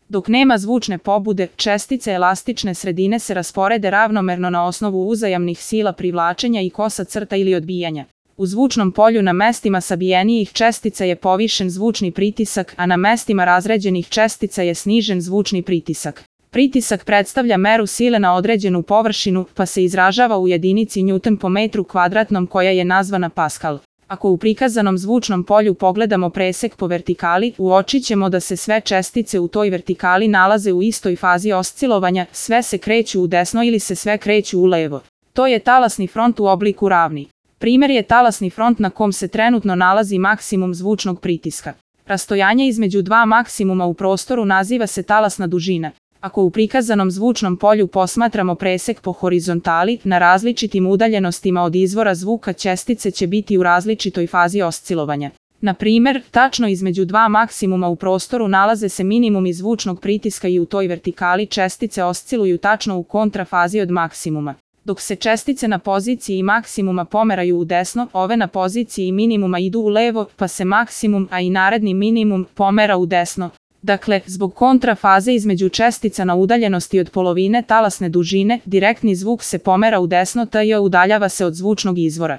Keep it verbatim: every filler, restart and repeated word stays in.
Dok nema zvučne pobude, čestice elastične sredine se rasporede ravnomerno na osnovu uzajamnih sila privlačenja i kosa crta ili odbijanja. U zvučnom polju na mestima sabijenijih čestica je povišen zvučni pritisak, a na mestima razređenih čestica je snižen zvučni pritisak. Pritisak predstavlja meru sile na određenu površinu, pa se izražava u jedinici newton po metru kvadratnom koja je nazvana paskal. Ako u prikazanom zvučnom polju pogledamo presek po vertikali, uočit ćemo da se sve čestice u toj vertikali nalaze u istoj fazi oscilovanja, sve se kreću u desno ili se sve kreću u levo. To je talasni front u obliku ravni. Primer je talasni front na kom se trenutno nalazi maksimum zvučnog pritiska. Rastojanje između dva maksimuma u prostoru naziva se talasna dužina. Ako u prikazanom zvučnom polju posmatramo presek po horizontali, na različitim udaljenostima od izvora zvuka čestice će biti u različitoj fazi oscilovanja. Na primer, tačno između dva maksimuma u prostoru nalaze se minimumi zvučnog pritiska i u toj vertikali čestice osciluju tačno u kontrafazi od maksimuma. Dok se čestice na poziciji maksimuma pomeraju u desno, ove na poziciji minimuma idu u levo, pa se maksimum, a i naredni minimum, pomera u desno. Dakle, zbog kontrafaze između čestica na udaljenosti od polovine talasne dužine, direktni zvuk se pomera u desno, tj. udaljava se od zvučnog izvora.